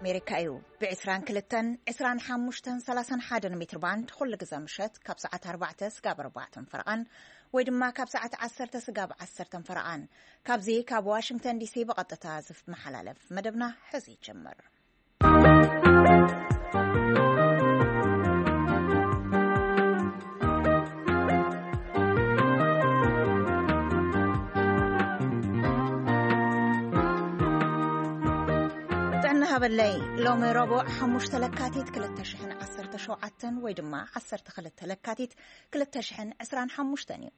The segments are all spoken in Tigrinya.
ኣሜሪካ እዩ። ብ22፣ 25፣ 31 ሜትር ባንድ ኩሉ ግዘ ምሸት ካብ ሰዓት ኣርባዕተ ስጋብ ኣርባዕተን ፈረቓን ወይ ድማ ካብ ሰዓት ዓሰርተ ስጋብ ዓሰርተን ፈረቓን። ካብዚ ካብ ዋሽንግተን ዲሲ ብቐጥታ ዝመሓላለፍ መደብና ሕዚ ይጀምር። ጥዕና ሃበለይ። ሎሚ ረቡዕ ሓሙሽተ ለካቲት ክልተ ሽሕን ዓሰርተ ሸውዓተን ወይ ድማ ዓሰርተ ክልተ ለካቲት ክልተ ሽሕን ዕስራን ሓሙሽተን እዩ።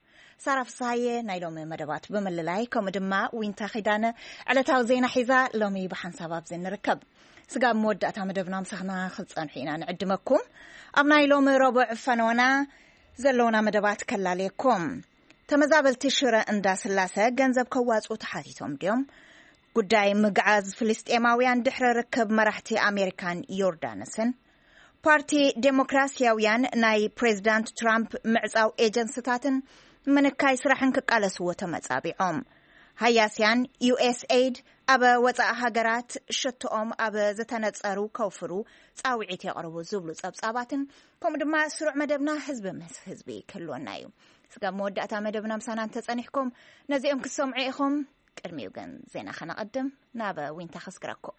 ሳራ ፍስሃየ ናይ ሎሚ መደባት ብምልላይ፣ ከምኡ ድማ ዊንታ ኺዳነ ዕለታዊ ዜና ሒዛ ሎሚ ብሓንሳብ ኣብዚ ንርከብ። ስጋብ መወዳእታ መደብና ምሳኽና ክትጸንሑ ኢና ንዕድመኩም። ኣብ ናይ ሎሚ ረቡዕ ፈነወና ዘለውና መደባት ከላለየኩም። ተመዛበልቲ ሽረ እንዳ ስላሰ ገንዘብ ከዋጽኡ ተሓቲቶም ድዮም? ጉዳይ ምግዓዝ ፍልስጤማውያን ድሕሪ ርክብ መራሕቲ ኣሜሪካን ዮርዳኖስን። ፓርቲ ዴሞክራሲያውያን ናይ ፕሬዚዳንት ትራምፕ ምዕጻው ኤጀንስታትን ምንካይ ስራሕን ክቃለስዎ ተመጻቢዖም። ሃያስያን ዩ ኤስ ኤይድ ኣብ ወጻኢ ሃገራት ሸቶኦም ኣብ ዝተነጸሩ ከውፍሩ ጻውዒት የቕርቡ ዝብሉ ጸብጻባትን፣ ከምኡ ድማ ስሩዕ መደብና ህዝቢ ምስ ህዝቢ ክህልወና እዩ። ስጋብ መወዳእታ መደብና ምሳና እንተጸኒሕኩም ነዚኦም ክትሰምዑ ኢኹም። ቅድሚኡ ግን ዜና ከነቐድም ናብ ዊንታ ከስግረኩም።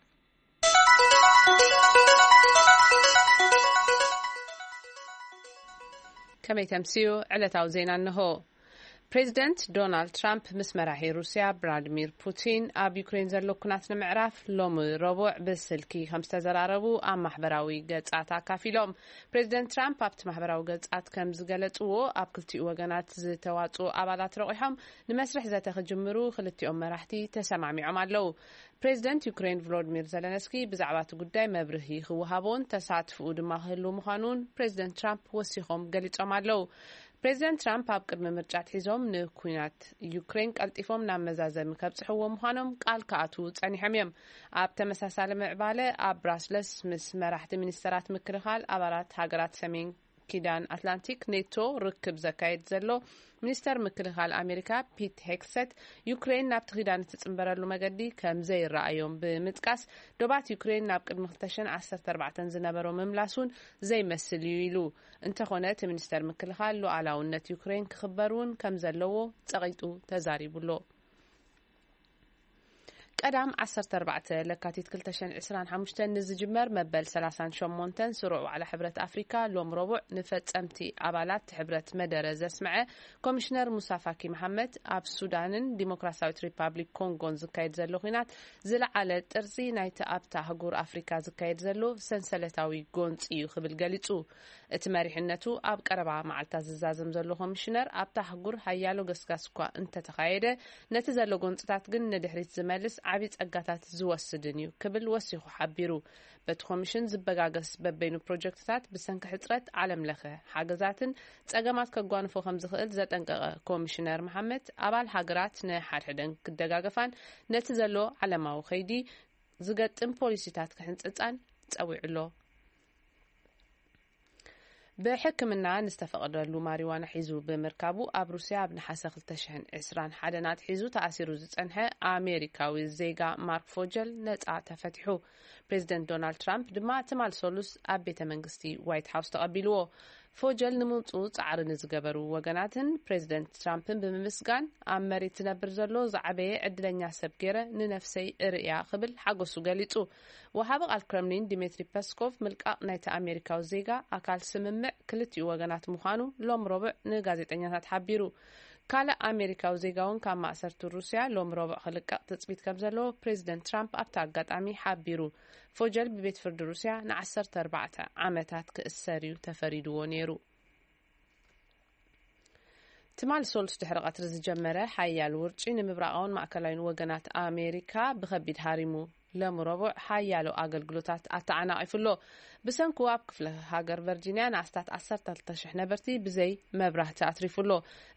ከመይ ተምስዩ? ዕለታዊ ዜና እንሆ። ፕሬዚደንት ዶናልድ ትራምፕ ምስ መራሒ ሩስያ ቭላድሚር ፑቲን ኣብ ዩክሬን ዘሎ ኩናት ንምዕራፍ ሎሚ ረቡዕ ብስልኪ ከም ዝተዘራረቡ ኣብ ማሕበራዊ ገጻት ኣካፊሎም። ፕሬዚደንት ትራምፕ ኣብቲ ማሕበራዊ ገጻት ከም ዝገለጽዎ፣ ኣብ ክልቲኡ ወገናት ዝተዋጽኡ ኣባላት ረቑሖም ንመስርሕ ዘተ ክጅምሩ ክልቲኦም መራሕቲ ተሰማሚዖም ኣለዉ። ፕሬዚደንት ዩክሬን ቮሎዲሚር ዘለንስኪ ብዛዕባ እቲ ጉዳይ መብርሂ ክወሃቦን ተሳትፍኡ ድማ ክህልው ምዃኑን ፕሬዚደንት ትራምፕ ወሲኾም ገሊጾም ኣለዉ። ፕሬዚደንት ትራምፕ ኣብ ቅድሚ ምርጫ ኣትሒዞም ንኩናት ዩክሬን ቀልጢፎም ናብ መዛዘሚ ከብጽሕዎ ምዃኖም ቃል ክኣትዉ ጸኒሖም እዮም። ኣብ ተመሳሳሊ ምዕባለ ኣብ ብራስለስ ምስ መራሕቲ ሚኒስተራት ምክልኻል ኣባላት ሃገራት ሰሜን ኪዳን ኣትላንቲክ ኔቶ ርክብ ዘካየድ ዘሎ ሚኒስተር ምክልኻል ኣሜሪካ ፒት ሄግሰት፣ ዩክሬን ናብቲ ኪዳን እትጽንበረሉ መገዲ ከም ዘይረኣዮም ብምጥቃስ፣ ዶባት ዩክሬን ናብ ቅድሚ ክልተ ሽሕን ዓሰርተ ኣርባዕተን ዝነበሮ ምምላስ እውን ዘይመስል እዩ ኢሉ። እንተኾነ እቲ ሚኒስተር ምክልኻል ሉዓላውነት ዩክሬን ክኽበር እውን ከም ዘለዎ ጸቒጡ ተዛሪቡ ኣሎ። ቀዳም ዓሰርተ ኣርባዕተ ለካቲት ክልተ ሽሕን ዕስራን ሓሙሽተን ንዝጅመር መበል ሰላሳን ሸሞንተን ስሩዕ ዋዕላ ሕብረት ኣፍሪካ ሎም ረቡዕ ንፈጸምቲ ኣባላት ሕብረት መደረ ዘስምዐ ኮሚሽነር ሙሳ ፋኪ መሓመድ፣ ኣብ ሱዳንን ዲሞክራሲያዊት ሪፓብሊክ ኮንጎን ዝካየድ ዘሎ ኲናት ዝለዓለ ጥርዚ ናይቲ ኣብታ ኣህጉር ኣፍሪካ ዝካየድ ዘሎ ሰንሰለታዊ ጎንፂ እዩ ክብል ገሊጹ። እቲ መሪሕነቱ ኣብ ቀረባ መዓልታት ዝዛዘም ዘሎ ኮሚሽነር፣ ኣብታ ኣህጉር ሓያሎ ገስጋስ እኳ እንተተኻየደ፣ ነቲ ዘሎ ጎንፅታት ግን ንድሕሪት ዝመልስ ዓብዪ ጸጋታት ዝወስድን እዩ ክብል ወሲኹ ሓቢሩ። በቲ ኮሚሽን ዝበጋገስ በበይኑ ፕሮጀክትታት ብሰንኪ ሕጽረት ዓለም ለኸ ሓገዛትን ጸገማት ከጓንፎ ከም ዝኽእል ዘጠንቀቐ ኮሚሽነር መሓመድ፣ ኣባል ሃገራት ንሓድሕደን ክደጋገፋን ነቲ ዘሎ ዓለማዊ ከይዲ ዝገጥም ፖሊሲታት ክሕንጽጻን ጸዊዑ ኣሎ። ብሕክምና ንዝተፈቐደሉ ማሪዋና ሒዙ ብምርካቡ፣ ኣብ ሩስያ ኣብ ነሓሰ ክልተ ሽሕን ዕስራን ሓደን ኣትሒዙ ተኣሲሩ ዝጸንሐ ኣሜሪካዊ ዜጋ ማርክ ፎጀል ነጻ ተፈቲሑ። ፕሬዚደንት ዶናልድ ትራምፕ ድማ ትማል ሰሉስ ኣብ ቤተ መንግስቲ ዋይት ሃውስ ተቐቢልዎ። ፎጀል ንምውጽኡ ጻዕሪ ንዝገበሩ ወገናትን ፕሬዚደንት ትራምፕን ብምምስጋን፣ ኣብ መሬት ዝነብር ዘሎ ዝዓበየ ዕድለኛ ሰብ ገይረ ንነፍሰይ እርእያ ክብል ሓጎሱ ገሊጹ። ወሃቢ ቃል ክረምሊን ዲሜትሪ ፐስኮቭ፣ ምልቃቕ ናይቲ ኣሜሪካዊ ዜጋ ኣካል ስምምዕ ክልቲኡ ወገናት ምዃኑ ሎም ረቡዕ ንጋዜጠኛታት ሓቢሩ። ካልእ ኣሜሪካዊ ዜጋ እውን ካብ ማእሰርቲ ሩስያ ሎም ረቡዕ ክልቀቕ ትጽቢት ከም ዘለዎ ፕሬዚደንት ትራምፕ ኣብቲ ኣጋጣሚ ሓቢሩ። ፎጀል ብቤት ፍርዲ ሩስያ ንዓሰርተ ኣርባዕተ ዓመታት ክእሰር እዩ ተፈሪድዎ ነይሩ። ትማል ሶሉስ ድሕሪ ቀትሪ ዝጀመረ ሓያል ውርጪ ንምብራቓውን ማእከላይን ወገናት ኣሜሪካ ብኸቢድ ሃሪሙ። ሎም ረቡዕ ሓያሎ ኣገልግሎታት ኣተዓናቒፉ ኣሎ። ብሰንኩ ኣብ ክፍለ ሃገር ቨርጂንያ ንኣስታት ዓሰርተ ክልተ ሽሕ ነበርቲ ብዘይ መብራህቲ ኣትሪፉ ኣሎ።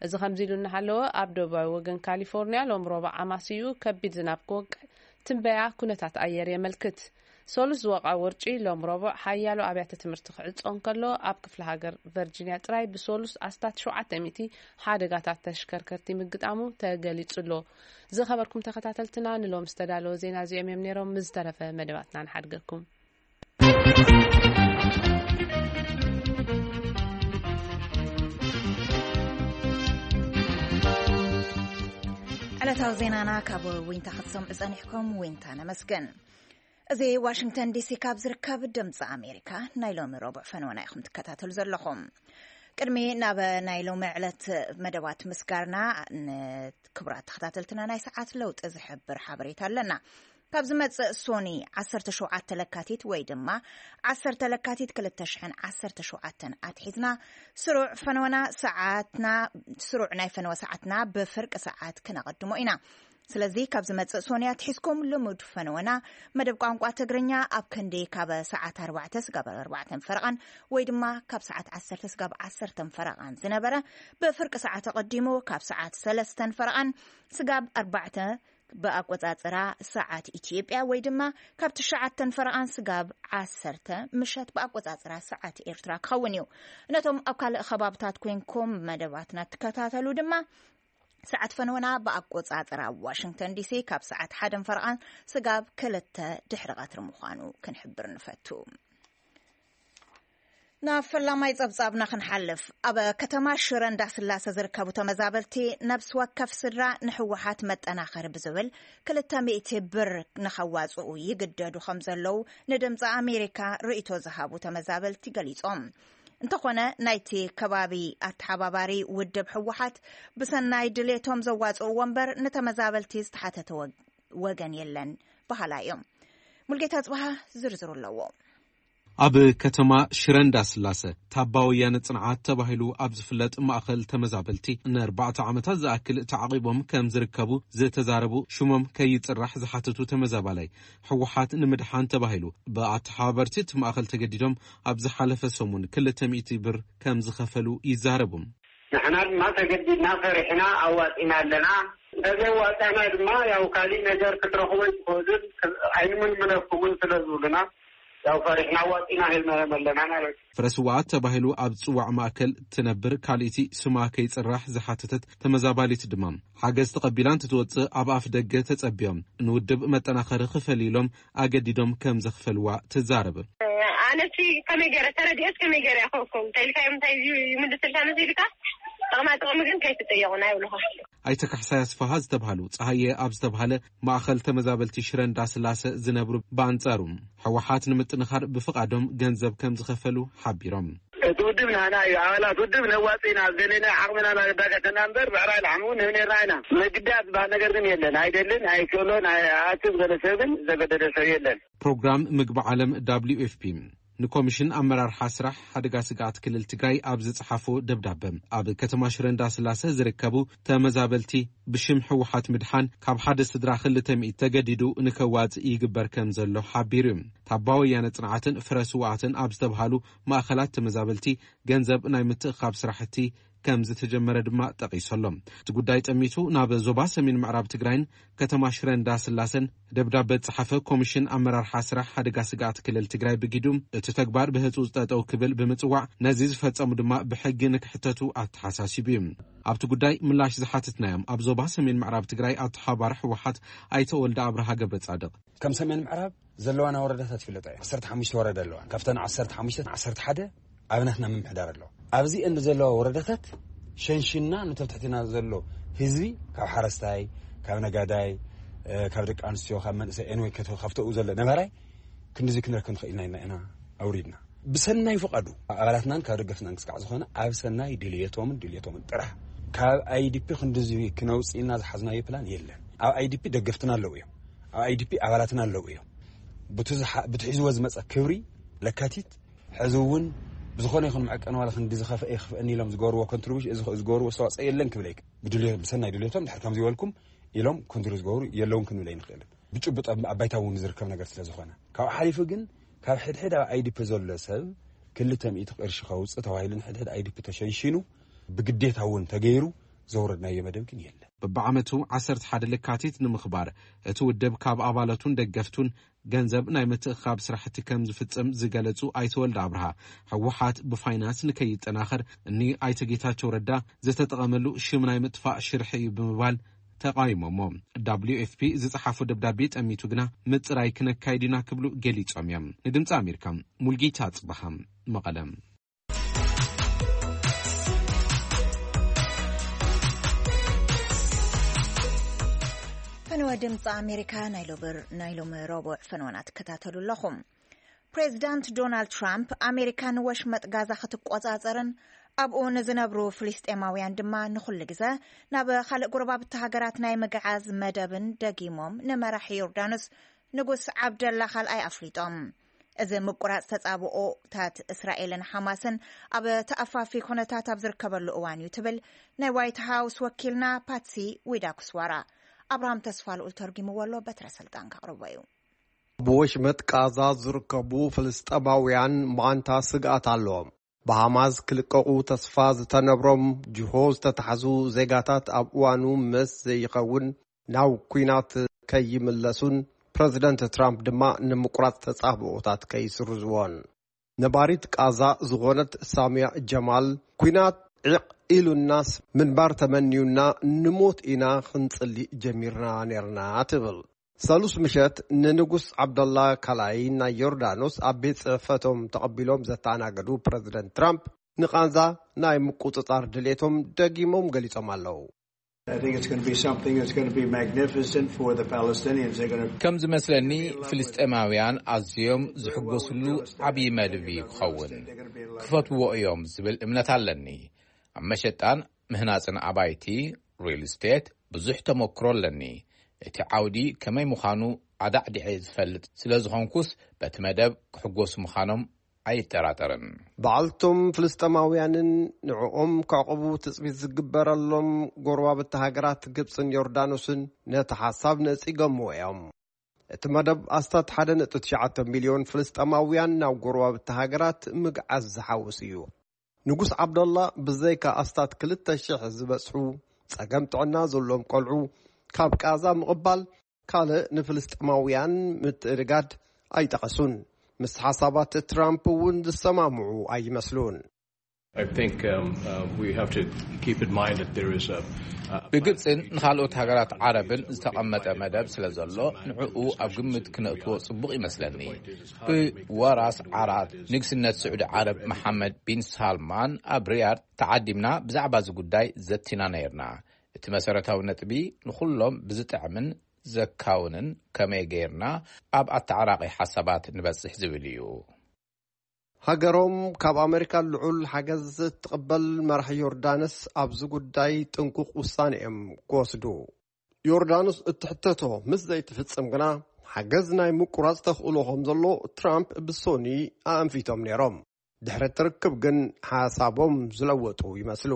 እዚ ከምዚ ኢሉ እናሃለወ፣ ኣብ ደቡባዊ ወገን ካሊፎርኒያ ሎም ረቡዕ ኣማስይኡ ከቢድ ዝናብ ክወቅዕ ትንበያ ኩነታት ኣየር የመልክት። ሶሉስ ዝወቕዐ ውርጪ ሎም ረቡዕ ሓያሎ ኣብያተ ትምህርቲ ክዕጾ እንከሎ፣ ኣብ ክፍለ ሃገር ቨርጂንያ ጥራይ ብሶሉስ ኣስታት ሸውዓተ ሚእቲ ሓደጋታት ተሽከርከርቲ ምግጣሙ ተገሊጹ ኣሎ። ዝኸበርኩም ተኸታተልትና፣ ንሎም ዝተዳለወ ዜና እዚኦም እዮም ነይሮም። ምስ ዝተረፈ መደባትና ንሓድገኩም። ዕለታዊ ዜናና ካብ ዊንታ ክትሰምዑ ጸኒሕኩም፣ ዊንታ ነመስግን። እዚ ዋሽንግተን ዲሲ ካብ ዝርከብ ድምፂ ኣሜሪካ ናይ ሎሚ ረቡዕ ፈነወና ኢኹም ትከታተሉ ዘለኹም። ቅድሚ ናብ ናይ ሎሚ ዕለት መደባት ምስጋርና፣ ንክቡራት ተኸታተልትና ናይ ሰዓት ለውጢ ዝሕብር ሓበሬታ ኣለና። ካብ ዝመጽእ ሶኒ ዓሰርተ ሸውዓተ ለካቲት ወይ ድማ ዓሰርተ ለካቲት ክልተ ሽሕን ዓሰርተ ሸውዓተን ኣትሒዝና ስሩዕ ፈነወና ሰዓትና፣ ስሩዕ ናይ ፈነወ ሰዓትና ብፍርቂ ሰዓት ክነቐድሞ ኢና። ስለዚ ካብ ዝመጽእ ሶኒ ኣትሒዝኩም ልሙድ ፈነወና መደብ ቋንቋ ትግርኛ ኣብ ክንዲ ካብ ሰዓት ኣርባዕተ ስጋብ ኣርባዕተን ፈረቓን ወይ ድማ ካብ ሰዓት ዓሰርተ ስጋብ ዓሰርተን ፈረቓን ዝነበረ ብፍርቂ ሰዓት ኣቐዲሙ ካብ ሰዓት ሰለስተን ፈረቓን ስጋብ ኣርባዕተ ብኣቆጻጽራ ሰዓት ኢትዮጵያ ወይ ድማ ካብ ትሽዓተን ፈረቓን ስጋብ ዓሰርተ ምሸት ብኣቆጻጽራ ሰዓት ኤርትራ ክኸውን እዩ። ነቶም ኣብ ካልእ ከባብታት ኮይንኩም መደባትና ትከታተሉ ድማ ሰዓት ፈነወና ብኣቆጻጽራ ዋሽንግተን ዲሲ ካብ ሰዓት ሓደን ፈረቓን ስጋብ ክልተ ድሕሪ ቀትሪ ምዃኑ ክንሕብር ንፈቱ። ናብ ፈላማይ ጸብጻብና ክንሓልፍ፣ ኣብ ከተማ ሽረ እንዳስላሰ ዝርከቡ ተመዛበልቲ ነብሲ ወከፍ ስድራ ንህወሓት መጠናኸሪ ብዝብል ክልተ ሚእቲ ብር ንኸዋጽኡ ይግደዱ ከም ዘለዉ ንድምፂ ኣሜሪካ ርእይቶ ዝሃቡ ተመዛበልቲ ገሊጾም። እንተኾነ ናይቲ ከባቢ ኣተሓባባሪ ውድብ ህወሓት ብሰናይ ድሌቶም ዘዋጽእዎ እምበር ንተመዛበልቲ ዝተሓተተ ወግ-፣ ወገን የለን በሃላ እዮም። ሙልጌታ ጽባሃ ዝርዝሩ ኣለዎ። ኣብ ከተማ ሽረ እንዳስላሰ ታባ ወያነ ጽንዓት ተባሂሉ ኣብ ዝፍለጥ ማእኸል ተመዛበልቲ ንኣርባዕተ ዓመታት ዝኣክል ተዓቒቦም ከም ዝርከቡ ዝተዛረቡ ሽሞም ከይጽራሕ ዝሓተቱ ተመዛባላይ፣ ህወሓት ንምድሓን ተባሂሉ ብኣተሓባበርቲ እቲ ማእኸል ተገዲዶም ኣብ ዝሓለፈ ሰሙን ክልተ ሚእቲ ብር ከም ዝኸፈሉ ይዛረቡ። ንሕና ድማ ተገዲድና ፈሪሕና ኣዋጺና ኣለና። እንተዘይዋጻና ድማ ያው ካሊእ ነገር ክትረኽቡ ኣይትኽእሉን፣ ኣይንምልምለኩምን ስለ ዝብሉና ያው ፈሪሕና ኣዋጺና ሂብናዮም ኣለና ማለት እዩ። ፍረ ስውኣት ተባሂሉ ኣብ ዝጽዋዕ ማእከል ትነብር ካልእቲ ስማ ከይጽራሕ ዝሓተተት ተመዛባሊት ድማ፣ ሓገዝ ተቐቢላ እንትትወጽእ ኣብ ኣፍ ደገ ተጸቢዮም ንውድብ መጠናኸሪ ክፈል ኢሎም ኣገዲዶም ከም ዘኽፈልዋ ትዛረብ። ኣነሲ ከመይ ገይረ ተረዲኦስ ከመይ ገይረ ይኸውኩም? እንታይ ኢልካ እዮም፣ እንታይ እዩ ይምልስልካ መሲልካ? ጥቕማ ጥቕሚ ግን ከይትጠየቑና ይብልኹም። ኣይተ ካሕሳይ ኣስፋሃ ዝተባሃሉ፣ ጸሃየ ኣብ ዝተባሃለ ማእኸል ተመዛበልቲ ሽረ እንዳስላሰ ዝነብሩ ብኣንጻሩ፣ ህወሓት ንምጥንኻር ብፍቓዶም ገንዘብ ከም ዝኸፈሉ ሓቢሮም። እቲ ውድብ ናና እዩ፣ ኣባላት ውድብ ነዋጽእ ኢና፣ ኣብ ደለናዮ ዓቕምና እናዳገተና እምበር፣ ብዕራይ ላሕሚ እውን ንህብ ነርና ኢና። ምግዳድ ዝበሃል ነገር ግን የለን፣ ኣይደልን፣ ኣይክእሎን፣ ኣይ-፣ ኣትም ዝበለ ሰብ ግን ዘገደደ ሰብ የለን። ፕሮግራም ምግቢ ዓለም ደብሊው ኤፍ ፒ ንኮሚሽን ኣመራርሓ ስራሕ ሓደጋ ስግኣት ክልል ትግራይ ኣብ ዝጸሓፎ ደብዳበ፣ ኣብ ከተማ ሽረ እንዳስላሰ ዝርከቡ ተመዛበልቲ ብሽም ህወሓት ምድሓን ካብ ሓደ ስድራ ክልተ ሚእቲ ተገዲዱ ንከዋጽእ ይግበር ከም ዘሎ ሓቢሩ እዩ። ታባ ወያነ ጽንዓትን ፍረ ስውኣትን ኣብ ዝተብሃሉ ማእኸላት ተመዛበልቲ ገንዘብ ናይ ምትእኻብ ስራሕቲ ከም ዝተጀመረ ድማ ጠቒሱ ኣሎ። እቲ ጉዳይ ጠሚቱ ናብ ዞባ ሰሜን ምዕራብ ትግራይን ከተማ ሽረ እንዳስላሰን ደብዳበ ዝጸሓፈ ኮሚሽን ኣመራርሓ ስራሕ ሓደጋ ስግኣት ክልል ትግራይ ብጊዱ፣ እቲ ተግባር ብህጹጽ ጠጠው ክብል ብምጽዋዕ፣ ነዚ ዝፈጸሙ ድማ ብሕጊ ንክሕተቱ ኣተሓሳሲቡ እዩ። ኣብቲ ጉዳይ ምላሽ ዝሓተትናዮም ኣብ ዞባ ሰሜን ምዕራብ ትግራይ ኣተሓባሪ ህወሓት ኣይተ ወልደ ኣብርሃ ገብረ ጻድቕ፣ ከም ሰሜን ምዕራብ ዘለዋና ወረዳታት ይፍለጣ እየን። ዓሰርተ ሓሙሽተ ወረዳ ኣለዋ። ካብተን ዓሰርተ ሓሙሽተ፣ ዓሰርተ ሓደ ኣብ ናትና ምምሕዳር ኣለዋ። ኣብዚ እንዲ ዘለዋ ወረዳታት ሸንሽና፣ ነቶም ትሕትና ዘሎ ህዝቢ፣ ካብ ሓረስታይ፣ ካብ ነጋዳይ፣ እ፣ ካብ ደቂ ኣንስትዮ፣ ካብ መንእሰይ፣ ኤንወይ፣ ከተ-፣ ካብተኡ ዘሎ ነባራይ ክንድዚ ክንረክብ ንኽእል ኢና ኢልና ኢና ኣውሪድና። ብሰናይ ፍቓዱ ኣባላትናን ካብ ደገፍናን ክስካዕ ዝኾነ ኣብ ሰናይ ድልየቶምን ድልየቶምን ጥራሕ። ካብ ኣይዲፒ ክንድዚ ክነውፅእ ኢልና ዝሓዝናዮ ፕላን የለን። ኣብ ኣይዲፒ ደገፍትና ኣለዉ እዮም። ኣብ ኣይዲፒ ኣባላትና ኣለዉ እዮም። ብቲ ዝሓ-፣ ብቲ ሒዝዎ ዝመፀ ክብሪ ለካቲት ሕዚ እውን ብዝኾነ ይኹን መዐቀኒ ዋላ ክንዲ ዝኸፍአ ይኽፍአኒ ኢሎም ዝገበርዎ ኮንትሪቡሽን፣ ዝገበርዎ ኣስተዋፅኦ የለን ክብል ኣይክ-፣ ብድልዮ-፣ ብሰናይ ድልየቶም ድሕር ከምዚ በልኩም ኢሎም ኮንትሪቡሽን ዝገብሩ የለውን ክንብል ኣይንኽእልን። ብጭቡጥ ኣብ፣ ኣብ ባይታ እውን ዝርከብ ነገር ስለ ዝኾነ። ካብኡ ሓሊፉ ግን ካብ ሕድሕድ ኣብ ኣይዲፒ ዘሎ ሰብ ክልተ ሚእቲ ቅርሺ ከውፅእ ተባሂሉ ንሕድሕድ ኣይዲፒ ተሸንሺኑ ብግዴታ እውን ተገይሩ ዘውረድናዮ መደብ ግን የለን። በብዓመቱ ዓሰርተ ሓደ ለካቲት ንምኽባር እቲ ውድብ ካብ ኣባላቱን ደገፍቱን ገንዘብ ናይ ምትእኻብ ስራሕቲ ከም ዝፍጽም ዝገለጹ ኣይተ ወልደ ኣብርሃ፣ ህወሓት ብፋይናንስ ንከይጠናኸር እኒ ኣይተ ጌታቸው ረዳ ዝተጠቐመሉ ሽም ናይ ምጥፋእ ሽርሒ እዩ ብምባል ተቓይሞሞ። ደብሊው ኤፍ ፒ ዝጸሓፎ ደብዳቤ ጠሚቱ ግና ምጽራይ ክነካይድ ኢና ክብሉ ገሊጾም እዮም። ንድምፂ ኣሜሪካ ሙልጌታ ጽባሃ፣ መቐለ። ፈነወ ድምፂ ኣሜሪካ ናይ ሎብር ናይ ሎሚ ረቡዕ ፈነወና ትከታተሉ ኣለኹም። ፕሬዚዳንት ዶናልድ ትራምፕ ኣሜሪካ ንወሽመጥ ጋዛ ክትቆጻጸርን ኣብኡ ንዝነብሩ ፍልስጤማውያን ድማ ንኹሉ ግዘ ናብ ካልእ ጎረባብቲ ሃገራት ናይ ምግዓዝ መደብን ደጊሞም ንመራሒ ዮርዳኖስ ንጉስ ዓብደላ ካልኣይ ኣፍሊጦም። እዚ ምቁራጽ ተጻብኦታት እስራኤልን ሓማስን ኣብ ተኣፋፊ ኩነታት ኣብ ዝርከበሉ እዋን እዩ ትብል ናይ ዋይት ሃውስ ወኪልና ፓትሲ ዊዳኩስዋራ። ኣብርሃም ተስፋ ልኡል ተርጊምዎ ኣሎ፣ በትረ ስልጣን ከቕርቦ እዩ። ብወሽመጥ ቃዛ ዝርከቡ ፍልስጠማውያን ማንታ ስግኣት ኣለዎም። ብሃማስ ክልቀቑ ተስፋ ዝተነብሮም ጅሆ ዝተታሕዙ ዜጋታት ኣብ እዋኑ መስ ዘይኸውን ናብ ኲናት ከይምለሱን ፕረዚደንት ትራምፕ ድማ ንምቁራጽ ተጻብኦታት ከይስርዝዎን። ነባሪት ቃዛ ዝኾነት ሳሚያ ጀማል፣ ኲናት ዒቕ ኢሉናስ ምንባር ተመንዩና ንሞት ኢና ክንጽሊ ጀሚርና ነርና ትብል። ሰሉስ ምሸት ንንጉስ ዓብደላ ካልኣይ ናይ ዮርዳኖስ ኣብ ቤት ጽሕፈቶም ተቐቢሎም ዘተኣናገዱ ፕረዚደንት ትራምፕ፣ ንቓንዛ ናይ ምቁጽጻር ድሌቶም ደጊሞም ገሊጾም ኣለዉ። ከም ዝመስለኒ ፍልስጤማውያን ኣዝዮም ዝሕጎስሉ ዓብዪ መደብ እዩ ክኸውን። ክፈትዎ እዮም ዝብል እምነት ኣለኒ። ኣብ መሸጣን ምህናጽን ኣባይቲ፣ ሪል ስቴት፣ ብዙሕ ተመክሮ ኣለኒ። እቲ ዓውዲ ከመይ ምዃኑ ኣዳዕዲዐ ዝፈልጥ ስለ ዝኾንኩስ፣ በቲ መደብ ክሕጎሱ ምዃኖም ኣይጠራጠርን። በዓልቶም ፍልስጤማውያንን ንዕኦም ከዕቕቡ ትጽቢት ዝግበረሎም ጎረባብቲ ሃገራት ግብጽን ዮርዳኖስን ነቲ ሓሳብ ነጺጎምዎ እዮም። እቲ መደብ ኣስታት ሓደ ነጥቢ ትሽዓተ ሚልዮን ፍልስጤማውያን ናብ ጎረባብቲ ሃገራት ምግዓዝ ዝሓውስ እዩ። ንጉስ ዓብደላ ብዘይካ ኣስታት ክልተ ሽሕ ዝበጽሑ ጸገም ጥዕና ዘለዎም ቆልዑ ካብ ቃዛ ምቕባል ካልእ ንፍልስጤማውያን ምትእድጋድ ኣይጠቐሱን። ምስ ሓሳባት ትራምፕ እውን ዝሰማምዑ ኣይመስሉን። I think um, uh, we have to keep in mind that there is a, a ብግብፅን ንካልኦት ሃገራት ዓረብን ዝተቐመጠ መደብ ስለ ዘሎ ንዕኡ ኣብ ግምት ክነእትዎ ፅቡቕ ይመስለኒ። ብወራስ ዓራት ንግስነት ስዑዲ ዓረብ መሓመድ ቢን ሳልማን ኣብ ሪያድ ተዓዲምና ብዛዕባ እዚ ጉዳይ ዘቲና ነይርና። እቲ መሰረታዊ ነጥቢ ንኹሎም ብዝጥዕምን ዘካውንን ከመይ ገይርና ኣብ ኣተዓራቒ ሓሳባት ንበፅሕ ዝብል እዩ። ሃገሮም ካብ ኣመሪካ ልዑል ሓገዝ እትቕበል መራሒ ዮርዳኖስ ኣብዚ ጉዳይ ጥንቁቕ ውሳነ እዮም ክወስዱ። ዮርዳኖስ እትሕተቶ ምስ ዘይትፍጽም ግና ሓገዝ ናይ ምቁራጽ ተኽእሎ ከም ዘሎ ትራምፕ ብሶኒ ኣኣንፊቶም ነይሮም። ድሕሪ እቲ ርክብ ግን ሓሳቦም ዝለወጡ ይመስሉ።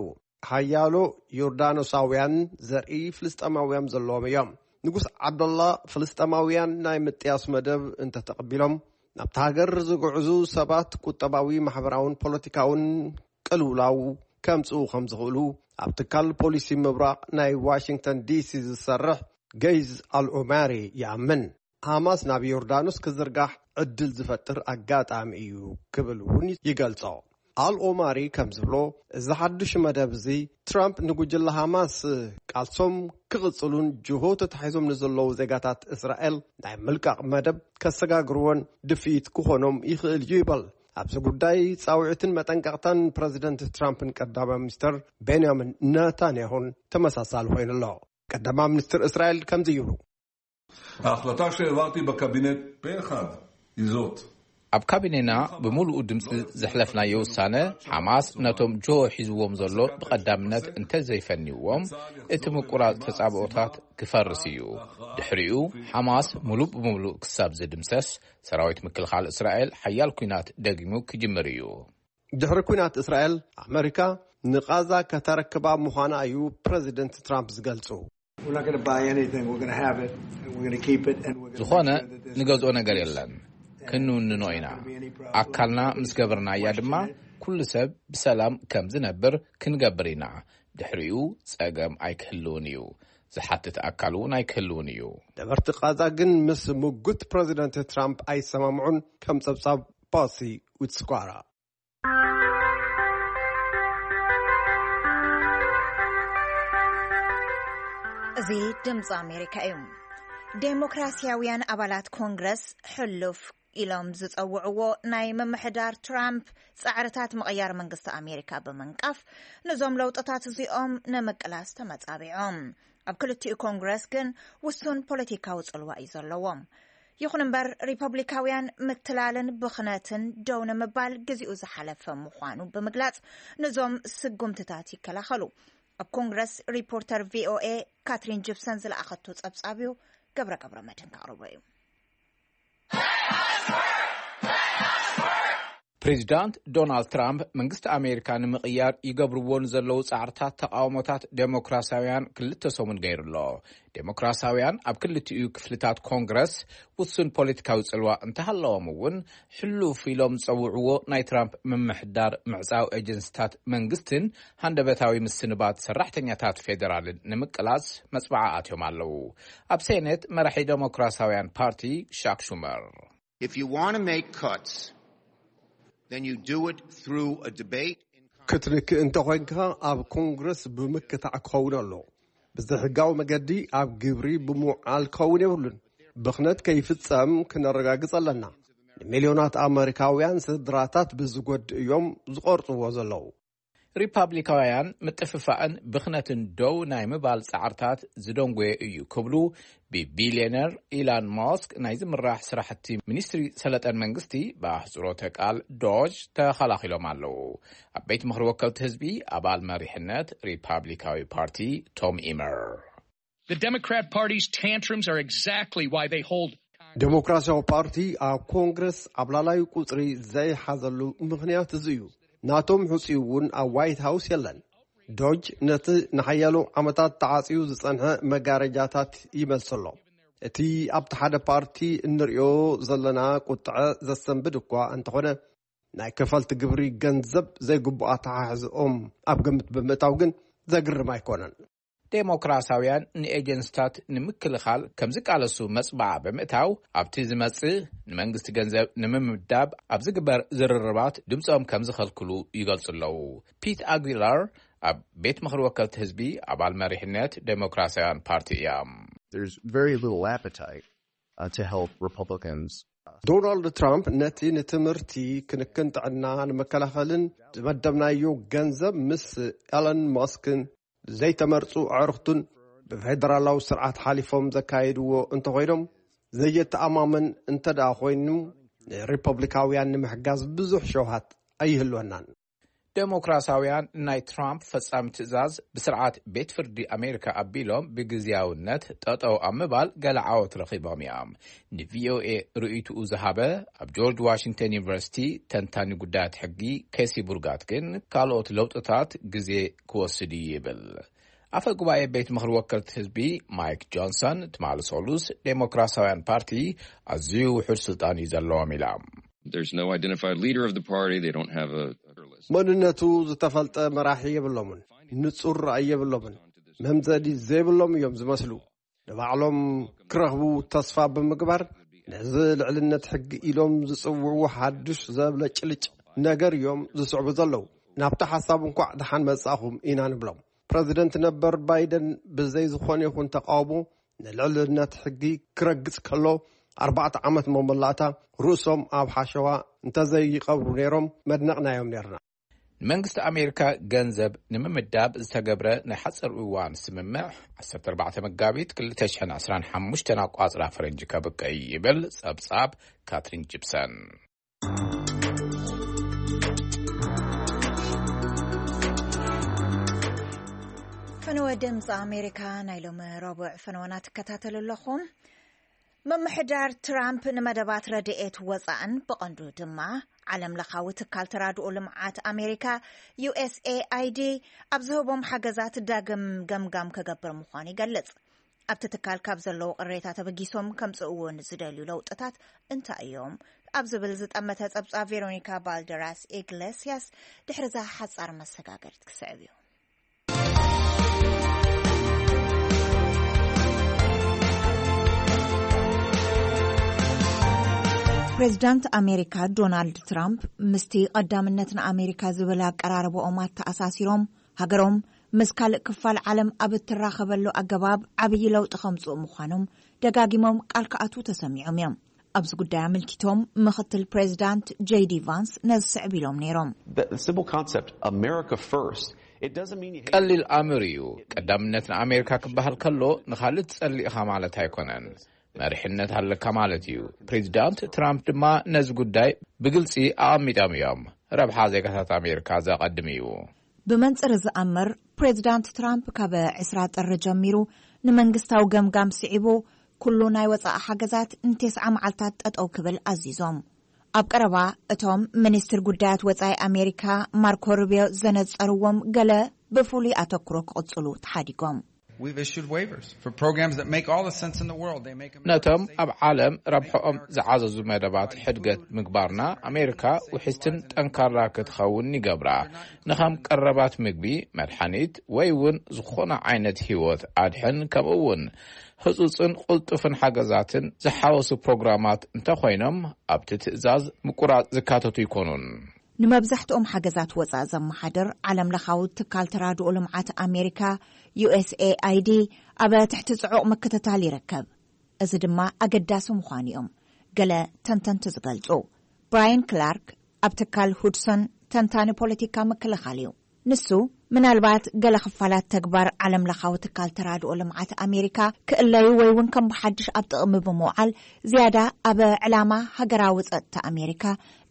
ሓያሎ ዮርዳኖሳውያን ዘርኢ ፍልስጤማውያን ዘለዎም እዮም። ንጉስ ዓብደላ ፍልስጤማውያን ናይ ምጥያስ መደብ እንተተቐቢሎም ናብቲ ሃገር ዝግዕዙ ሰባት ቁጠባዊ፣ ማሕበራውን ፖለቲካውን ቅልውላው ከምጽኡ ከም ዝኽእሉ ኣብ ትካል ፖሊሲ ምብራቕ ናይ ዋሽንግተን ዲሲ ዝሰርሕ ገይዝ ኣልኦማሪ ይኣምን። ሃማስ ናብ ዮርዳኖስ ክዝርጋሕ ዕድል ዝፈጥር ኣጋጣሚ እዩ ክብል እውን ይገልጾ። ኣልኦማሪ ከም ዝብሎ፣ እዚ ሓዱሽ መደብ እዚ ትራምፕ ንጉጅለ ሃማስ ቃልሶም ክቕጽሉን ጅሆ ተታሒዞም ንዘለዉ ዜጋታት እስራኤል ናይ ምልቃቕ መደብ ከሰጋግርዎን ድፍኢት ክኾኖም ይኽእል እዩ ይበል። ኣብዚ ጉዳይ ጻውዒትን መጠንቀቕታን ፕረዚደንት ትራምፕን ቀዳማይ ሚኒስተር ቤንያሚን ነታንያሁን ተመሳሳሊ ኮይኑ ኣሎ። ቀዳማይ ሚኒስትር እስራኤል ከምዚ ይብሉ። ההחלטה שהעברתי בקבינט פה אחד היא זאת. ኣብ ካቢኔና ብምሉኡ ድምፂ ዘሕለፍናዮ ውሳነ ሓማስ ነቶም ጆ ሒዝዎም ዘሎ ብቐዳምነት እንተዘይፈንዎም እቲ ምቁራፅ ተፃብኦታት ክፈርስ እዩ። ድሕሪኡ ሓማስ ሙሉእ ብምሉእ ክሳብ ዝድምሰስ ሰራዊት ምክልኻል እስራኤል ሓያል ኲናት ደጊሙ ክጅምር እዩ። ድሕሪ ኲናት እስራኤል ኣመሪካ ንቓዛ ከተረክባ ምዃና እዩ ፕረዚደንት ትራምፕ ዝገልጹ። ዝኾነ ንገዝኦ ነገር የለን፣ ክንውንኖ ኢና። ኣካልና ምስ ገበርናያ ድማ ኩሉ ሰብ ብሰላም ከም ዝነብር ክንገብር ኢና። ድሕሪኡ ጸገም ኣይክህልውን እዩ። ዝሓትት ኣካል እውን ኣይክህልውን እዩ። ነበርቲ ቓዛ ግን ምስ ምጉት ፕረዚደንት ትራምፕ ኣይሰማምዑን። ከም ጸብጻብ ፓሲ ዊትስኳራ። እዚ ድምፂ ኣሜሪካ እዩ። ዴሞክራሲያውያን ኣባላት ኮንግረስ ሕሉፍ ኢሎም ዝፀውዕዎ ናይ ምምሕዳር ትራምፕ ፃዕርታት ምቕያር መንግስቲ ኣሜሪካ ብምንቃፍ፣ ነዞም ለውጥታት እዚኦም ንምቅላስ ተመፃቢዖም። ኣብ ክልቲኡ ኮንግረስ ግን ውሱን ፖለቲካዊ ፅልዋ እዩ ዘለዎም። ይኹን እምበር፣ ሪፐብሊካውያን ምትላልን ብኽነትን ደው ንምባል ግዜኡ ዝሓለፈ ምዃኑ ብምግላጽ፣ ነዞም ስጉምትታት ይከላኸሉ። ኣብ ኮንግረስ ሪፖርተር ቪ ኦ ኤ ካትሪን ጂፕሰን ዝለኣኸቶ ጸብጻብ እዩ። ገብረ ገብረ መድህን ከቕርቦ እዩ። ፕሬዚዳንት ዶናልድ ትራምፕ መንግስቲ ኣሜሪካ ንምቕያር ይገብርዎ ንዘለዉ ጻዕርታት ተቓውሞታት ዴሞክራሲያውያን ክልተ ሰሙን ገይሩ ኣሎ። ዴሞክራሲያውያን ኣብ ክልቲኡ ክፍልታት ኮንግረስ ውሱን ፖለቲካዊ ጽልዋ እንተሃለዎም እውን፣ ሕሉፍ ኢሎም ዝጸውዕዎ ናይ ትራምፕ ምምሕዳር ምዕጻው ኤጀንሲታት መንግስትን ሃንደበታዊ ምስንባት ሰራሕተኛታት ፌደራልን ንምቅላስ መጽባዓ ኣትዮም ኣለዉ። ኣብ ሴኔት መራሒ ዴሞክራሲያውያን ፓርቲ ሻክ ሹመር If you want to make cuts, then you do it through a debate. ክትንክእ እንተኾይንካ ኣብ ኮንግረስ ብምክታዕ ክኸውን ኣሎ። ብዘይሕጋዊ መገዲ ኣብ ግብሪ ብምውዓል ክኸውን የብሉን። ብኽነት ከይፍጸም ክነረጋግጽ ኣለና። ንሚልዮናት ኣመሪካውያን ስድራታት ብዝጎድእ እዮም ዝቖርጽዎ ዘለዉ። ሪፓብሊካውያን ምጥፍፋእን ብኽነትን ደው ናይ ምባል ጻዕርታት ዝደንጎየ እዩ ክብሉ ብቢልዮነር ኢላን ማስክ ናይ ዝምራሕ ስራሕቲ ሚኒስትሪ ሰለጠን መንግስቲ፣ ብኣህጽሮተ ቃል ዶጅ፣ ተኸላኺሎም ኣለዉ። ኣብ ቤት ምኽሪ ወከልቲ ህዝቢ ኣባል መሪሕነት ሪፓብሊካዊ ፓርቲ ቶም ኢመር The Democrat Party's tantrums are exactly why they hold ዴሞክራሲያዊ ፓርቲ ኣብ ኮንግረስ ኣብ ላላዩ ቁፅሪ ዘይሓዘሉ ምኽንያት እዚ እዩ። ናቶም ሕፁይ እውን ኣብ ዋይት ሃውስ የለን። ዶጅ ነቲ ንሓያሎ ዓመታት ተዓፅዩ ዝፀንሐ መጋረጃታት ይመልስ ኣሎ። እቲ ኣብቲ ሓደ ፓርቲ እንሪኦ ዘለና ቁጥዐ ዘሰንብድ እኳ እንተኾነ፣ ናይ ከፈልቲ ግብሪ ገንዘብ ዘይግቡእ ኣተሓሕዝኦም ኣብ ግምት ብምእታው ግን ዘግርም ኣይኮነን። ዴሞክራሲያውያን ንኤጀንስታት ንምክልኻል ከም ዝቃለሱ መጽባዓ ብምእታው፣ ኣብቲ ዝመጽእ ንመንግስቲ ገንዘብ ንምምዳብ ኣብ ዝግበር ዝርርባት ድምጾም ከም ዝኸልክሉ ይገልጹ ኣለዉ። ፒት ኣጉላር ኣብ ቤት ምኽሪ ወከልቲ ህዝቢ ኣባል መሪሕነት ዴሞክራሲያውያን ፓርቲ እያ። There's very little appetite uh, to help Republicans. ዶናልድ ትራምፕ ነቲ ንትምህርቲ፣ ክንክን ጥዕና፣ ንመከላኸልን ዝመደብናዮ ገንዘብ ምስ ኤለን ማስክን ዘይተመርጹ ኣዕሩኽቱን ብፌደራላዊ ስርዓት ሓሊፎም ዘካየድዎ እንተኾይኖም፣ ዘየተኣማመን እንተ ደኣ ኮይኑ፣ ንሪፐብሊካውያን ንምሕጋዝ ብዙሕ ሸውሃት ኣይህልወናን። ዴሞክራሲያውያን ናይ ትራምፕ ፈጻሚ ትእዛዝ ብስርዓት ቤት ፍርዲ ኣሜሪካ ኣቢሎም ብግዝያውነት ጠጠው ኣብ ምባል ገለ ዓወት ረኺቦም እዮም። ንቪኦኤ ርእይትኡ ዝሃበ ኣብ ጆርጅ ዋሽንግተን ዩኒቨርሲቲ ተንታኒ ጉዳያት ሕጊ ኬሲ ቡርጋት ግን፣ ካልኦት ለውጥታት ግዜ ክወስድ እዩ ይብል። ኣፈ ጉባኤ ቤት ምኽሪ ወከልቲ ህዝቢ ማይክ ጆንሰን ትማሊ ሰሉስ፣ ዴሞክራሲያውያን ፓርቲ ኣዝዩ ውሑድ ስልጣን እዩ ዘለዎም ኢላ። There's no identified leader of the party. They don't have a መንነቱ ዝተፈልጠ መራሒ የብሎምን። ንጹር ራእይ የብሎምን። መምዘኒ ዘይብሎም እዮም ዝመስሉ። ንባዕሎም ክረኽቡ ተስፋ ብምግባር፣ ነዚ ልዕልነት ሕጊ ኢሎም ዝጽውዕዎ ሓድሽ ዘብለጭልጭ ነገር እዮም ዝስዕቡ ዘለዉ። ናብቲ ሓሳብ እንኳዕ ደሓን መጻእኹም ኢና ንብሎም። ፕረዚደንት ነበር ባይደን ብዘይ ዝኾነ ይኹን ተቓውሞ ንልዕልነት ሕጊ ክረግጽ ከሎ፣ ኣርባዕተ ዓመት መመላእታ ርእሶም ኣብ ሓሸዋ እንተዘይቀብሩ ነይሮም፣ መድነቕናዮም ነይርና። ንመንግስቲ ኣሜሪካ ገንዘብ ንምምዳብ ዝተገብረ ናይ ሓፂር እዋን ስምምዕ ዓሰርተ ኣርባዕተ መጋቢት ክልተ ሽሕን ዕስራን ሓሙሽተን ኣቋፅራ ፈረንጂ ከብቅዕ ይብል ፀብፃብ ካትሪን ጂፕሰን። ፈነወ ድምፂ ኣሜሪካ ናይ ሎሚ ረቡዕ ፈነወና ትከታተሉ ኣለኹም። ምምሕዳር ትራምፕ ንመደባት ረድኤት ወፃእን ብቐንዱ ድማ ዓለም ለኻዊ ትካል ተራድኦ ልምዓት ኣሜሪካ፣ ዩ ኤስ ኤ ኣይ ዲ፣ ኣብ ዝህቦም ሓገዛት ዳግም ገምጋም ክገብር ምዃኑ ይገልጽ። ኣብቲ ትካል ካብ ዘለዉ ቅሬታ ተበጊሶም ከምፅእዎ ንዝደልዩ ለውጥታት እንታይ እዮም? ኣብ ዝብል ዝጠመተ ፀብፃብ ቬሮኒካ ባልደራስ ኢግሌስያስ ድሕሪ እዛ ሓፃር መሰጋገሪት ክስዕብ እዩ። ፕሬዚዳንት ኣሜሪካ ዶናልድ ትራምፕ ምስቲ ቀዳምነት ንኣሜሪካ ዝብል ኣቀራርባኦም ኣተኣሳሲሮም፣ ሃገሮም ምስ ካልእ ክፋል ዓለም ኣብ እትራኸበሉ ኣገባብ ዓብዪ ለውጢ ከምጽኡ ምዃኖም ደጋጊሞም ቃል ክኣትዉ ተሰሚዖም እዮም። ኣብዚ ጉዳይ ኣመልኪቶም ምኽትል ፕሬዚዳንት ጄዲ ቫንስ ነዚ ስዕብ ኢሎም ነይሮም። The simple concept, America first, it doesn't mean you hate ቀሊል ኣምር እዩ። ቀዳምነት ንኣሜሪካ ክበሃል ከሎ ንኻልእ ትጸልእ ኢኻ ማለት ኣይኮነን። መሪሕነት ኣለካ ማለት እዩ። ፕሬዚዳንት ትራምፕ ድማ ነዚ ጉዳይ ብግልጺ ኣቐሚጦም እዮም። ረብሓ ዜጋታት ኣሜሪካ ዘቐድም እዩ። ብመንጽር ዝኣምር ፕሬዚዳንት ትራምፕ ካብ ዕስራ ጥሪ ጀሚሩ ንመንግስታዊ ገምጋም ስዒቡ ኩሉ ናይ ወጻኢ ሓገዛት ንቴስዓ መዓልታት ጠጠው ክብል ኣዚዞም። ኣብ ቀረባ እቶም ሚኒስትር ጉዳያት ወጻኢ ኣሜሪካ ማርኮ ሩቢዮ ዘነጸርዎም ገለ ብፍሉይ ኣተኩሮ ክቕጽሉ ተሓዲጎም። We've issued waivers for programs that make all the sense in the world. They make America ነቶም safe. ኣብ ዓለም ረብሕኦም ዝዓዘዙ መደባት ሕድገት ምግባርና ኣሜሪካ ውሕስትን ጠንካራ ክትኸውን ይገብራ። ንኸም ቀረባት ምግቢ፣ መድሓኒት ወይ እውን ዝኾነ ዓይነት ህይወት ኣድሕን ከምኡ እውን ህጹጽን ቁልጡፍን ሓገዛትን ዝሓወሱ ፕሮግራማት እንተኾይኖም ኣብቲ ትእዛዝ ምቁራጽ ዝካተቱ ይኮኑን። ንመብዛሕትኦም ሓገዛት ወጻኢ ዘመሓድር ዓለም ለኻዊ ትካል ተራድኦ ልምዓት ኣሜሪካ ዩ ኤስ ኤ ኣይ ዲ ኣብ ትሕቲ ጽዑቕ ምክትታል ይርከብ። እዚ ድማ ኣገዳሲ ምዃኑ እዮም ገለ ተንተንቲ ዝገልጹ። ብራያን ክላርክ ኣብ ትካል ሁድሶን ተንታኒ ፖለቲካ ምክልኻል እዩ። ንሱ ምናልባት ገለ ክፋላት ተግባር ዓለም ለኻዊ ትካል ተራድኦ ልምዓት ኣሜሪካ ክእለዩ ወይ እውን ከም ብሓድሽ ኣብ ጥቕሚ ብምውዓል ዝያዳ ኣብ ዕላማ ሃገራዊ ጸጥታ ኣሜሪካ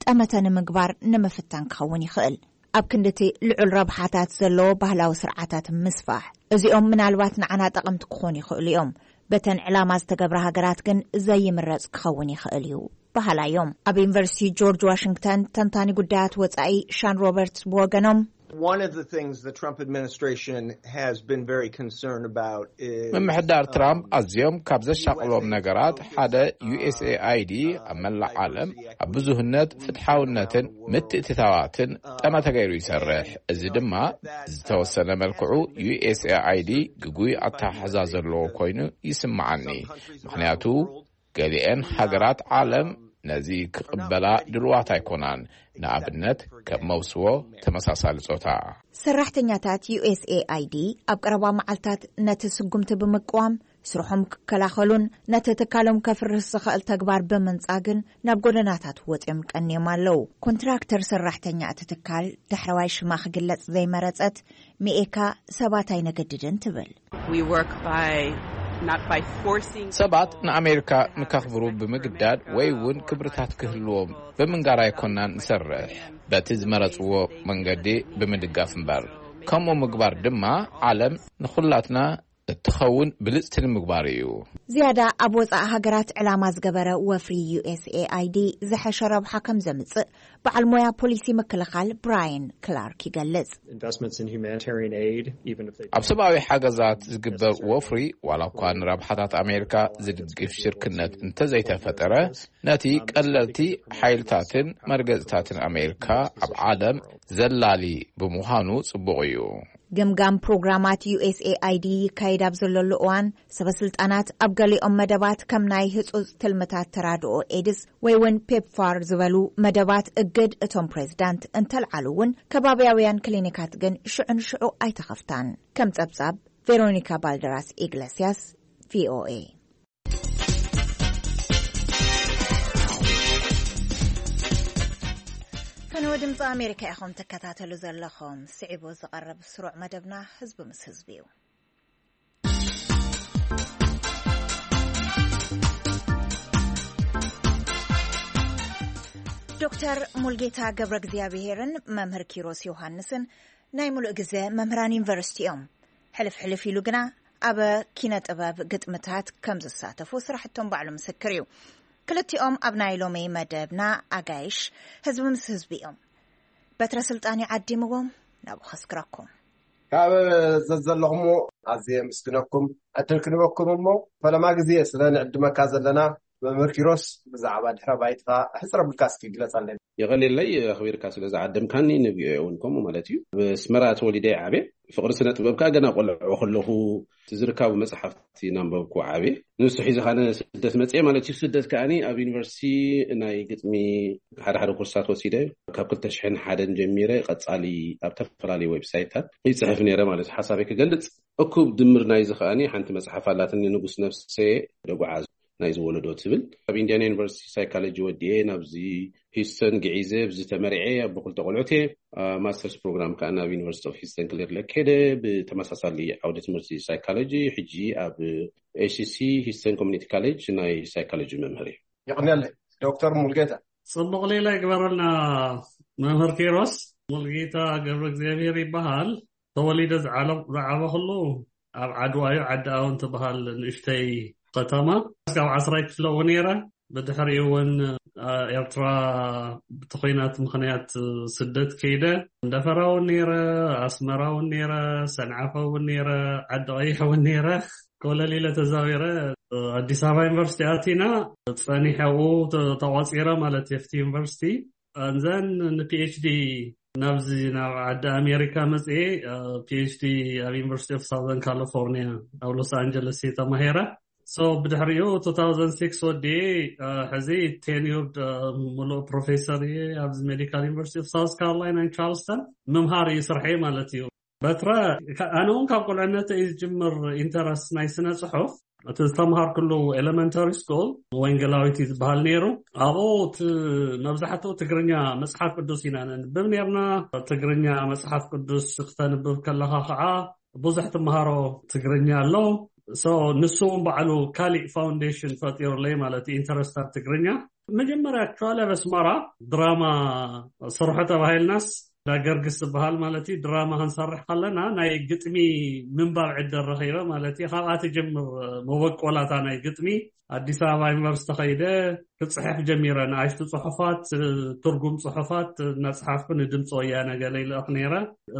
ጠመተ ንምግባር ንምፍታን ክኸውን ይኽእል። ኣብ ክንድቲ ልዑል ረብሓታት ዘለዎ ባህላዊ ስርዓታት ምስፋሕ፣ እዚኦም ምናልባት ንዓና ጠቐምቲ ክኾኑ ይኽእሉ እዮም። በተን ዕላማ ዝተገብራ ሃገራት ግን ዘይምረጽ ክኸውን ይኽእል እዩ በሃላ እዮም። ኣብ ዩኒቨርሲቲ ጆርጅ ዋሽንግተን ተንታኒ ጉዳያት ወጻኢ ሻን ሮበርትስ ብወገኖም One of the things the Trump administration has been very concerned about is ምምሕዳር ትራምፕ ኣዝዮም ካብ ዘሻቕሎም ነገራት ሓደ ዩ ኤስ ኤ ኣይ ዲ ኣብ መላእ ዓለም ኣብ ብዙህነት ፍትሓውነትን ምትእትታዋትን ጠመተ ገይሩ ይሰርሕ። እዚ ድማ ዝተወሰነ መልክዑ ዩ ኤስ ኤ ኣይ ዲ ግጉይ ኣተሓሕዛ ዘለዎ ኮይኑ ይስምዓኒ። ምኽንያቱ ገሊኤን ሃገራት ዓለም ነዚ ክቕበላ ድልዋት ኣይኮናን። ንኣብነት ከም መውስቦ ተመሳሳሊ ጾታ። ሰራሕተኛታት ዩ ኤስ ኤ ኣይ ዲ ኣብ ቀረባ መዓልታት ነቲ ስጉምቲ ብምቅዋም ስርሖም ክከላኸሉን ነቲ ትካሎም ከፍርስ ዝኽእል ተግባር ብምንጻግን ናብ ጎደናታት ወጺኦም ቀንዮም ኣለዉ። ኮንትራክተር ሰራሕተኛ እቲ ትካል ዳሕረዋይ ሽማ ክግለጽ ዘይመረጸት ሚኤካ ሰባት ኣይነገድድን ትብል። We work by not by forcing ሰባት ንኣሜሪካ ንከኽብሩ ብምግዳድ ወይ እውን ክብርታት ክህልዎም ብምንጋር ኣይኮናን ንሰርሕ፣ በቲ ዝመረጽዎ መንገዲ ብምድጋፍ እምበር። ከምኡ ምግባር ድማ ዓለም ንኹላትና እትኸውን ብልጽቲ ንምግባር እዩ። ዝያዳ ኣብ ወጻኢ ሃገራት ዕላማ ዝገበረ ወፍሪ ዩ ኤስ ኤ ኣይ ዲ ዝሐሸ ረብሓ ከም ዘምጽእ በዓል ሞያ ፖሊሲ ምክልኻል ብራያን ክላርክ ይገልጽ። Investments in humanitarian aid, even if they ኣብ ሰብኣዊ ሓገዛት ዝግበር ወፍሪ ዋላ እኳ ንረብሓታት ኣሜሪካ ዝድግፍ ሽርክነት እንተዘይተፈጠረ ነቲ ቀለልቲ ሓይልታትን መርገጽታትን ኣሜሪካ ኣብ ዓለም ዘላሊ ብምዃኑ ጽቡቕ እዩ። ግምጋም ፕሮግራማት ዩ ኤስ ኤ ኣይ ዲ ይካየድ ኣብ ዘለሉ እዋን ሰበ ስልጣናት ኣብ ገሊኦም መደባት ከም ናይ ህጹጽ ትልምታት ተራድኦ ኤድስ ወይ እውን ፔፕፋር ዝበሉ መደባት እግድ እቶም ፕሬዝዳንት እንተልዓሉ እውን ከባብያውያን ክሊኒካት ግን ሽዑ ንሽዑ ኣይተኸፍታን። ከም ጸብጻብ ቬሮኒካ ባልደራስ ኢግለስያስ፣ ቪ ኦ ኤ። ከነወ ድምፂ ኣሜሪካ ኢኹም ትከታተሉ ዘለኹም። ስዒቡ ዝቐርብ ስሩዕ መደብና ህዝቢ ምስ ህዝቢ እዩ። ዶክተር ሙልጌታ ገብረ እግዚኣብሄርን መምህር ኪሮስ ዮሃንስን ናይ ሙሉእ ግዜ መምህራን ዩኒቨርሲቲ እዮም። ሕልፍ ሕልፍ ኢሉ ግና ኣብ ኪነ ጥበብ ግጥምታት ከም ዝሳተፉ ስራሕቶም ባዕሉ ምስክር እዩ። ክልቲኦም ኣብ ናይ ሎሚ መደብና ኣጋይሽ ህዝቢ ምስ ህዝቢ እዮም። በትረ ስልጣን ይዓዲምዎም ናብኡ ከስክረኩም። ካብ ዘዘለኹምዎ ኣዝየ የመስግነኩም። ዕድል ክንበኩም እሞ ፈለማ ግዜ ስለ ንዕድመካ ዘለና መምህር ኪሮስ ብዛዕባ ድሕረ ባይትኻ ሕፅር ኣቢልካ እስኪ ግለፀለይ። የቐንየለይ ኣኽቢርካ ስለ ዝዓደምካኒ፣ ንቪኦኤ እውን ከምኡ ማለት እዩ። ኣብ ኣስመራ ተወሊደ ዓብየ። ፍቕሪ ስነ ጥበብ ከዓ ገና ቆልዑ ከለኹ እቲ ዝርካቡ መጽሓፍቲ እናንበብኩ ዓብየ። ንሱ ሒዘ ካነ ስደት መጽየ ማለት እዩ። ስደት ከዓኒ ኣብ ዩኒቨርሲቲ ናይ ግጥሚ ሓደ ሓደ ኮርሳት ወሲደ ካብ ክልተ ሽሕን ሓደን ጀሚረ ቀጻሊ ኣብ ዝተፈላለዩ ዌብሳይታት ይጽሕፍ ነይረ ማለት እዩ። ሓሳበይ ክገልጽ እኩብ ድምር ናይዚ ከዓኒ ሓንቲ መጽሓፍ ኣላትኒ፣ ንጉስ ነፍሰ ደጉዓ ናይ ዝወለዶ ትብል። ኣብ ኢንዲያና ዩኒቨርሲቲ ሳይኮሎጂ ወዲኤ ናብዚ ሂውስተን ግዒዘ ብዚ ተመሪዐ ኣቦ ክልተ ቆልዑት እየ። ማስተርስ ፕሮግራም ከዓ ናብ ዩኒቨርሲቲ ኦፍ ሂውስተን ክሊር ለክ ከይደ ብተመሳሳሊ ዓውዲ ትምህርቲ ሳይኮሎጂ ሕጂ ኣብ ኤስሲ ሂውስተን ኮሚኒቲ ኮሌጅ ናይ ሳይኮሎጂ መምህር እየ። የቕንየለይ ዶክተር ሙልጌታ። ጽቡቕ ሌላ ይግበረልና። መምህር ኪሮስ፣ ሙልጌታ ገብረ እግዚኣብሔር ይበሃል። ተወሊደ ዝዓለ- ዝዓበኹሉ ኣብ ዓድዋ እዩ። ዓዲ ኣውን ትበሃል ንእሽተይ ከተማ። እስካብ ዓስራይ ክፍለ እውን ነይረ። ብድሕሪኡ እውን አ፣ ኤርትራ ብቲ ኹናት ምኽንያት ስደት ከይደ። እንደፈራ እውን ነይረ፣ ኣስመራ እውን ነይረ፣ ሰንዓፈ እውን ነይረ፣ ዓዲ ቀይሕ እውን ነይረ። ኮለል ኢለ ተዛዊረ፣ አ፣ ኣዲስ ኣበባ ዩኒቨርሲቲ ኣቲና። ጸኒሐ ኣብኡ ተ- ተቋጺረ ማለት የፍቲ ዩኒቨርሲቲ። ኣንዘን ንፒኤችዲ ናብዚ ናብ ዓዲ ኣሜሪካ መፅኤ፣ ፒኤችዲ ኣብ ዩኒቨርሲቲ ኦፍ ሳውዘርን ካሊፎርኒያ ኣብ ሎስ ኣንጀለስ እየ ተማሂረ። So ብድሕሪኡ two thousand six ወዲኤ፣ ሕዚ ቴኒርድ ሙሉእ ፕሮፌሰር እየ ኣብዚ ሜዲካል ዩኒቨርሲቲ ኦፍ ሳውዝ ካሮላይና ቻርልስተን። ምምሃር እዩ ስርሐይ ማለት እዩ። በትረ፣ ኣነ እውን ካብ ቁልዕነተ እዩ ዝጅምር ኢንተረስት ናይ ስነ ፅሑፍ። እቲ ዝተምሃርኩሉ ኤሌመንተሪ ስኩል ወንጌላዊት እዩ ዝበሃል ነይሩ። ኣብኡ መብዛሕትኡ ትግርኛ መፅሓፍ ቅዱስ ኢና ነንብብ ነርና። ትግርኛ መፅሓፍ ቅዱስ ክተንብብ ከለኻ ከዓ ብዙሕ ትምሃሮ ትግርኛ ኣሎ። ንሱ እውን ባዕሉ ካሊእ ፋውንዴሽን ፈጢሩለይ ማለት ኢንተረስት ኣብ ትግርኛ። መጀመርያ ኣክቹዋሊ ኣብ ኣስመራ ድራማ ስርሑ ተባሂልናስ ዳገርግስ ዝበሃል ማለት እዩ። ድራማ ክንሰርሕ ከለና ናይ ግጥሚ ምንባብ ዕድል ረኺበ ማለት እዩ። ካብኣ ትጀምር መበቆላታ ናይ ግጥሚ። ኣዲስ ኣበባ ዩኒቨርሲቲ ከይደ ክፅሕፍ ጀሚረ። ንኣሽቱ ፅሑፋት፣ ትርጉም ፅሑፋት እናፅሓፍኩ ንድምፂ ወያነ ገለ ይልእኽ ነይረ።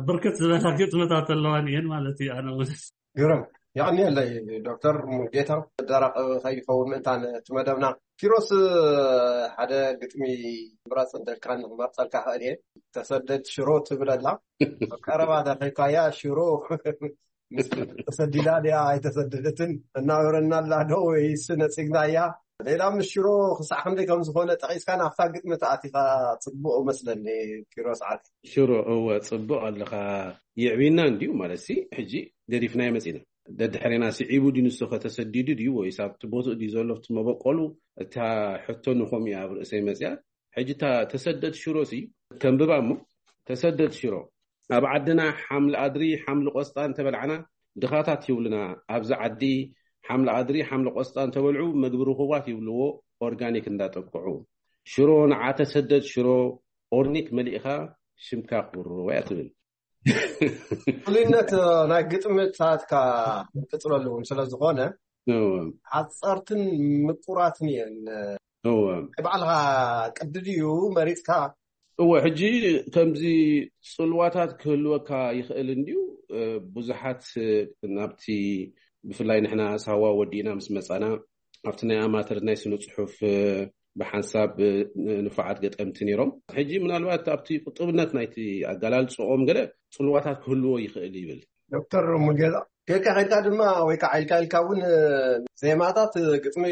ብርክት ዝበላ ግጥምታት ኣለዋን እየን ማለት እዩ። ኣነ እውን ግርም። የቐንየለይ ዶክተር ሙሉጌታ። ደረቕ ከይኸውን ምእንታን እቲ መደብና። ኪሮስ፣ ሓደ ግጥሚ ምረፅ እንደልካ ንክመርፀልካ ክእል እየ። ተሰደድ ሽሮ ትብለላ ቀረባ ተኺብካያ ሽሮ ተሰዲዳ ድያ ኣይተሰደደትን እናበረና ኣላ ዶ ወይስ ነፂግናያ? ሌላ ምስ ሽሮ ክሳዕ ክንደይ ከም ዝኾነ ጠቂስካ ናብታ ግጥሚ ተኣቲኻ ፅቡቅ መስለኒ። ኪሮስ ዓርከይ። ሽሮ እወ፣ ጽቡቕ ኣለኻ። ይዕብና እንድዩ ማለት ሲ፣ ሕጂ ገዲፍናዮ መጺና። ደድሕሬና ስዒቡ ድዩ ንሱ ከተሰዲዱ ድዩ ወይስ ኣብቲ ቦትኡ ድዩ ዘሎ ኣብቲ መበቆሉ? እታ ሕቶ ንኸምኡ እያ ኣብ ርእሰይ መጺኣ። ሕጂ እታ ተሰደድ ሽሮ ሲ ከንብባ እሞ፣ ተሰደድ ሽሮ፣ ኣብ ዓድና ሓምሊ ኣድሪ ሓምሊ ቆስጣ እንተበላዕና ድኻታት ይብሉና። ኣብዚ ዓዲ ሓምሊ ኣድሪ ሓምሊ ቆስጣ እንተበልዑ መግቢ ርኹባት ይብልዎ፣ ኦርጋኒክ እንዳጠቅዑ። ሽሮ ንዓ ተሰደድ ሽሮ፣ ኦርኒክ መሊእኻ ሽምካ ክብርዎ እያ ትብል። ፍሉይነት ናይ ግጥምታትካ ትፅለሉ እውን ስለ ዝኾነ ሓፀርትን ምቁራትን እየን። ባዕልኻ ቅዲ ድዩ መሪፅካ? እወ፣ ሕጂ ከምዚ ፅልዋታት ክህልወካ ይኽእል እንድዩ። ብዙሓት ናብቲ፣ ብፍላይ ንሕና ሳዋ ወዲእና ምስ መፃና ኣብቲ ናይ ኣማተር ናይ ስነ ፅሑፍ ብሓንሳብ ንፉዓት ገጠምቲ ነይሮም። ሕጂ ምናልባት ኣብቲ ቁጥብነት ናይቲ ኣገላልፅኦም ገለ ፅልዋታት ክህልዎ ይኽእል ይብል። ዶክተር ሙሉጌታ፣ ጌርካ ኬድካ ድማ ወይ ከዓ ኢልካ ኢልካ እውን ዜማታት ግጥሚ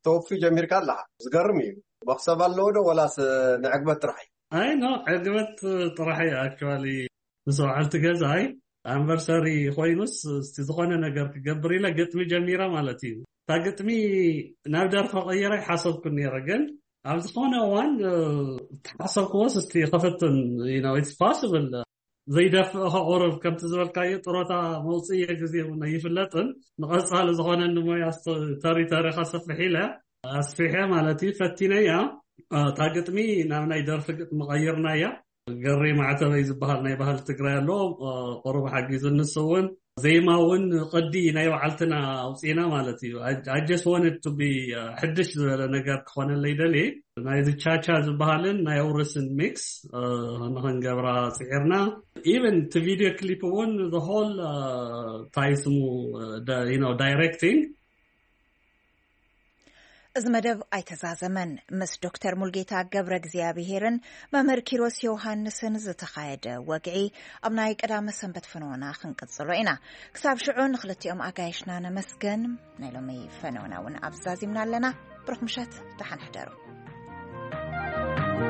ተወፊ ጀሚርካ ኣለካ። ዝገርም እዩ። መክሰብ ኣለዎ ዶ ወላስ ንዕግበት ጥራሕ እዩ? ኣይ ኖ፣ ዕግበት ጥራሕ እዩ። ኣክቹዋሊ ምስ በዓልቲ ገዛይ ኣንቨርሰሪ ኮይኑስ እስቲ ዝኾነ ነገር ክገብር ኢለ ግጥሚ ጀሚረ ማለት እዩ። እታ ግጥሚ ናብ ደርፊ ቀይረ ኣይሓሰብኩን ነይረ፣ ግን ኣብ ዝኾነ እዋን ተሓሰብክዎስ እስቲ ክፍትን ኢትስ ፓስብል። ዘይደፍእ ከቑርብ ከምቲ ዝበልካዮ ጥሮታ መውፅእየ ግዜ እውን ኣይፍለጥን። ንቐፃሊ ዝኾነኒ ሞያ ተሪተሪ ከስፍሕ ኢለ ኣስፊሐ ማለት እዩ ፈቲነያ። እታ ግጥሚ ናብ ናይ ደርፊ ግጥሚ ቀይርናያ። ገሬ ማዕተበይ ዝበሃል ናይ ባህሊ ትግራይ ኣሎ፣ ቁሩብ ሓጊዙ። ንሱ እውን ዜማ እውን ቅዲ ናይ ባዕልትና ኣውፂና ማለት እዩ። I just wanted to be ሕድሽ ዝበለ ነገር ክኾነለይ ደልየ። ናይዚ ቻቻ ዝበሃልን ናይ ኣውርስን ሚክስ ንክንገብራ ፅዒርና። ኢቨን እቲ ቪድዮ ክሊፕ እውን the whole ታይ ስሙ ዳይሬክቲንግ እዚ መደብ ኣይተዛዘመን። ምስ ዶክተር ሙልጌታ ገብረ እግዚኣብሄርን መምህር ኪሮስ ዮሃንስን ዝተኻየደ ወግዒ ኣብ ናይ ቀዳመ ሰንበት ፈነወና ክንቅጽሎ ኢና። ክሳብ ሽዑ ንኽልቲኦም ኣጋይሽና ነመስገን። ናይ ሎሚ ፈነወና እውን ኣብዛዚምና ኣለና። ብሩኽ ምሸት፣ ደሓን ሕደሩ።